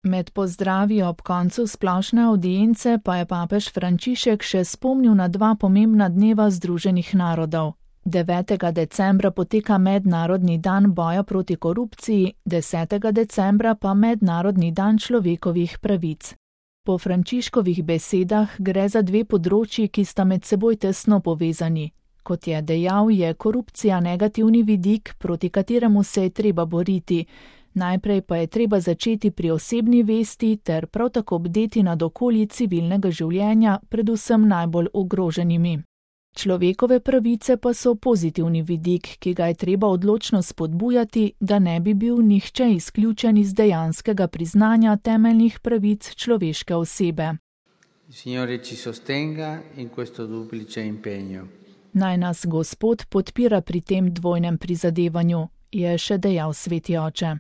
Med pozdravi ob koncu splošne avdience pa je papež Frančišek še spomnil na 2 pomembna dneva Združenih narodov. 9. decembra poteka Mednarodni dan boja proti korupciji, 10. decembra pa Mednarodni dan človekovih pravic. Po Frančiškovih besedah gre za 2 področji, ki sta med seboj tesno povezani. Kot je dejal, je korupcija negativni vidik, proti kateremu se je treba boriti. Najprej pa je treba začeti pri osebni vesti ter prav tako bdeti nad okolji civilnega življenja, predvsem najbolj ogroženimi. Človekove pravice pa so pozitivni vidik, ki ga je treba odločno spodbujati, da ne bi bil nihče izključen iz dejanskega priznanja temeljnih pravic človeške osebe. Naj nas Gospod podpira pri tem dvojnem prizadevanju, je še dejal sveti oče.